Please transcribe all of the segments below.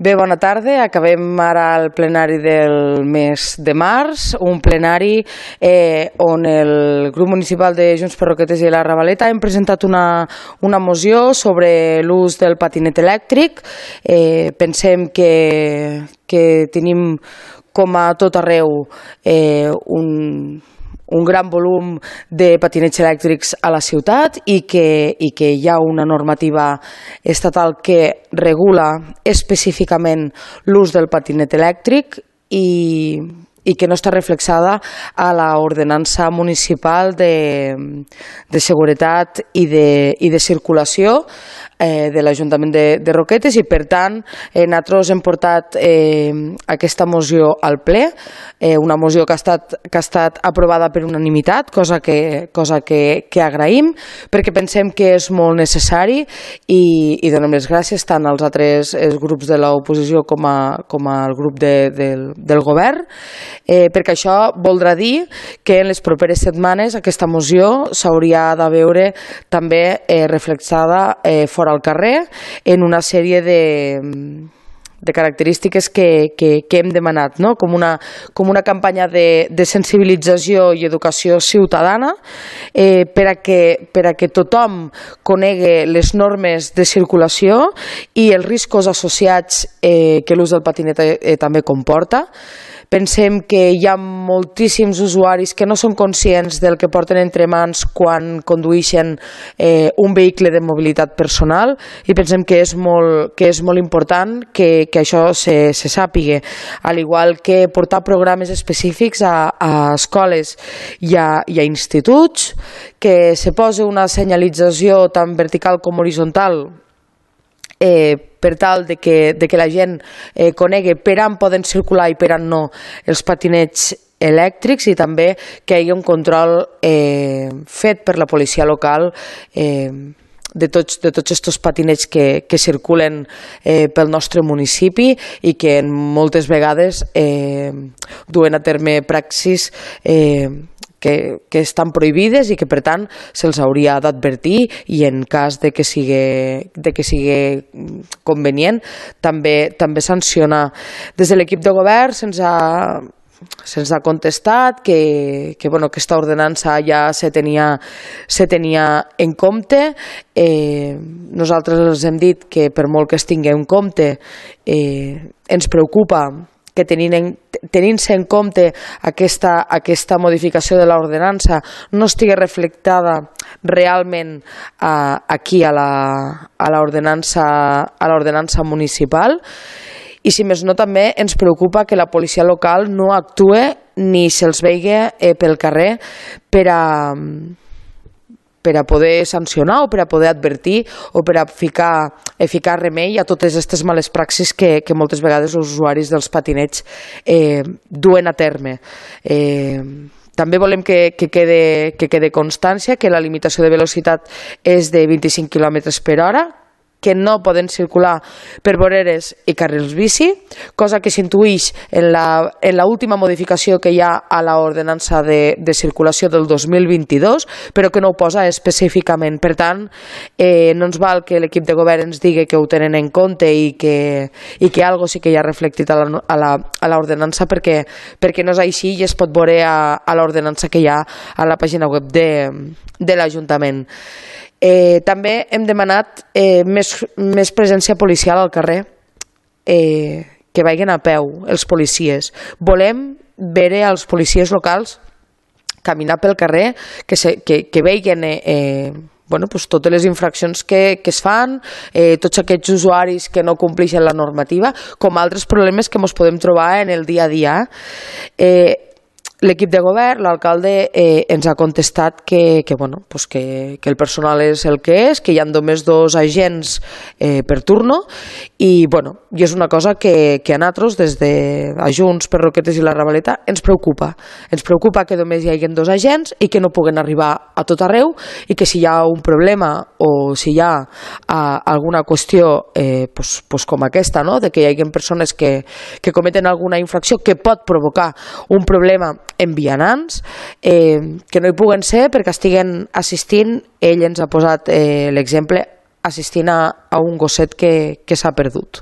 Bé, bona tarda. Acabem ara el plenari del mes de març, un plenari on el grup municipal de Junts per Roquetes i la Ravaleta hem presentat una moció sobre l'ús del patinet elèctric. Pensem que tenim, com a tot arreu, un gran volum de patinets elèctrics a la ciutat i que hi ha una normativa estatal que regula específicament l'ús del patinet elèctric i que no està reflexada a l'ordenança municipal de seguretat i de circulació de l'Ajuntament de Roquetes, i per tant nosaltres hem portat aquesta moció al ple, una moció que ha estat aprovada per unanimitat, cosa que agraïm, perquè pensem que és molt necessari, i donem les gràcies tant als altres grups de l'oposició com al grup del govern, perquè això voldrà dir que en les properes setmanes aquesta moció s'hauria de veure també reflexada fora al carrer en una sèrie de característiques que hem demanat, no? Com una campanya de sensibilització i educació ciutadana per a que tothom conegui les normes de circulació i els riscos associats que l'ús del patinet també comporta. Pensem que hi ha moltíssims usuaris que no són conscients del que porten entre mans quan condueixen un vehicle de mobilitat personal, i pensem que és molt important que això se sàpiga, al igual que portar programes específics a escoles i a instituts, que se posi una senyalització tant vertical com horitzontal per tal de que la gent conegui per on poden circular i per on no els patinets elèctrics, i també que hi hagi un control fet per la policia local de tots aquests patinets que circulen pel nostre municipi i que moltes vegades duen a terme praxis que estan prohibides i que per tant se'ls hauria d'advertir, i en cas de que sigui convenient també sancionar. Des de l'equip de govern se'ns ha contestat que aquesta ordenança ja se tenia en compte. Nosaltres els hem dit que per molt que es tingui en compte ens preocupa que tenint-se en compte aquesta modificació de l'ordenança no estigui reflectada realment aquí a l'ordenança municipal, i si més no també ens preocupa que la policia local no actue ni se'ls vegi pel carrer per a poder sancionar o per a poder advertir o per a ficar remei a totes aquestes males praxis que moltes vegades els usuaris dels patinets duen a terme. També volem que quede constància que la limitació de velocitat és de 25 km per hora, que no poden circular per voreres i carrils bici, cosa que s'intuïx en l'última modificació que hi ha a l'ordenança de circulació del 2022, però que no ho posa específicament. Per tant, no ens val que l'equip de govern ens digui que ho tenen en compte i que algo sí que hi ha reflectit a l'ordenança, perquè no és així, i es pot veure a l'ordenança que hi ha a la pàgina web de l'Ajuntament. També hem demanat més presència policial al carrer, que vagin a peu els policies. Volem veure els policies locals caminar pel carrer, que vegin totes les infraccions que es fan, tots aquests usuaris que no compleixen la normativa, com altres problemes que ens podem trobar en el dia a dia. L'equip de govern, l'alcalde, ens ha contestat que el personal és el que és, que hi ha només 2 agents per turno, i és una cosa que a nosaltres, des de Junts per Roquetes i la Ravaleta, ens preocupa. Ens preocupa que només hi hagi 2 agents i que no puguen arribar a tot arreu, i que si hi ha un problema o si hi ha alguna qüestió com aquesta, de que hi hagi persones que cometen alguna infracció que pot provocar un problema en vianants, que no hi puguen ser perquè estiguen assistint. Ell ens ha posat l'exemple assistint a un gosset que s'ha perdut.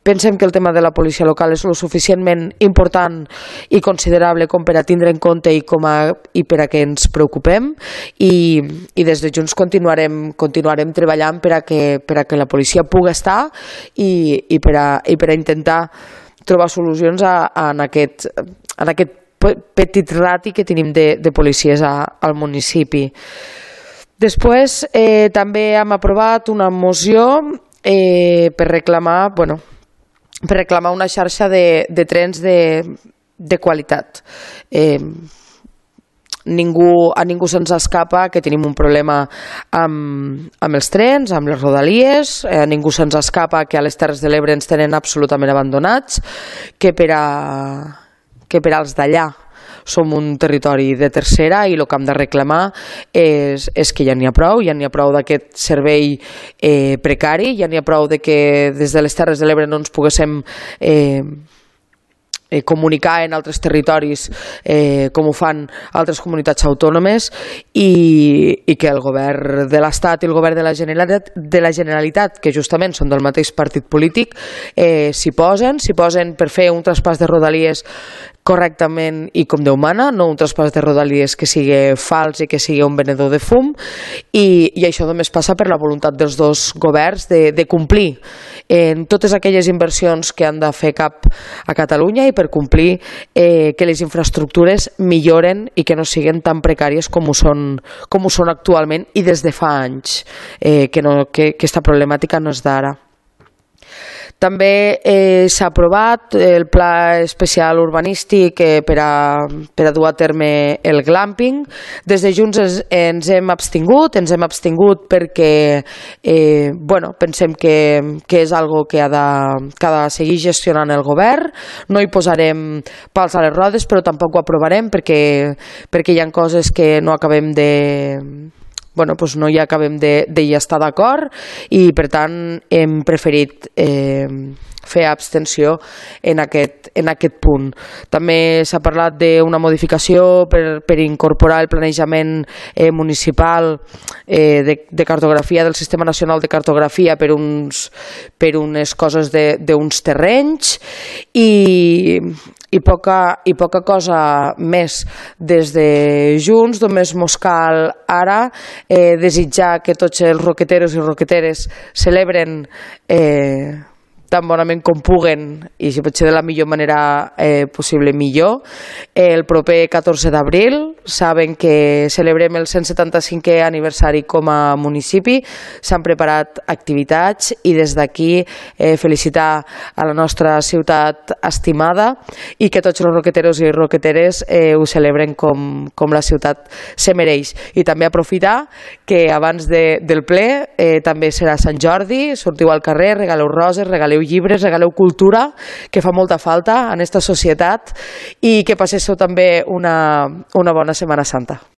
Pensem que el tema de la policia local és lo suficientment important i considerable com per a tindre en compte i per a que ens preocupem, i des de Junts continuarem treballant per a que la policia pugui estar i per a intentar trobar solucions en aquest petit rati que tenim de policies al municipi. Després també hem aprovat una moció per reclamar una xarxa de trens de qualitat. A ningú se'ns escapa que tenim un problema amb els trens, amb les rodalies, a ningú se'ns escapa que a les Terres de l'Ebre ens tenen absolutament abandonats, que per als d'allà som un territori de tercera i el que hem de reclamar és que ja n'hi ha prou d'aquest servei precari, ja n'hi ha prou de que des de les Terres de l'Ebre no ens poguéssim comunicar en altres territoris com ho fan altres comunitats autònomes, i que el govern de l'Estat i el govern de la Generalitat, que justament són del mateix partit polític, s'hi posen per fer un traspàs de rodalies correctament i com Déu mana, no un traspàs de rodalies que sigui fals i que sigui un venedor de fum, i això només passa per la voluntat dels dos governs de complir en totes aquelles inversions que han de fer cap a Catalunya i per complir que les infraestructures milloren i que no siguin tan precàries com ho són actualment i des de fa anys, que aquesta problemàtica no és d'ara. També s'ha aprovat el Pla Especial Urbanístic per a dur a terme el glamping. Des de Junts ens hem abstingut perquè pensem que és algo que ha de seguir gestionant el govern. No hi posarem pals a les rodes, però tampoc ho aprovarem perquè hi ha coses que no acabem no hi acabem d'hi estar d'acord, i per tant hem preferit fer abstenció en aquest punt. També s'ha parlat d'una modificació per incorporar el planejament municipal de cartografia del Sistema Nacional de Cartografia per unes coses d'uns terrenys, i poca cosa més. Des de Junts només mos cal ara desitjar que tots els roqueteros i roqueteres celebren tan bonament com puguen, i si pot ser de la millor manera possible millor, el proper 14 d'abril. Saben que celebrem el 175è aniversari com a municipi, s'han preparat activitats, i des d'aquí felicitar a la nostra ciutat estimada, i que tots els roqueteros i roqueteres ho celebren com la ciutat se mereix. I també aprofitar que abans del ple també serà Sant Jordi, sortiu al carrer, regaleu roses, regaleu llibres, regaleu cultura, que fa molta falta en aquesta societat, i que passeu també una bona Setmana Santa.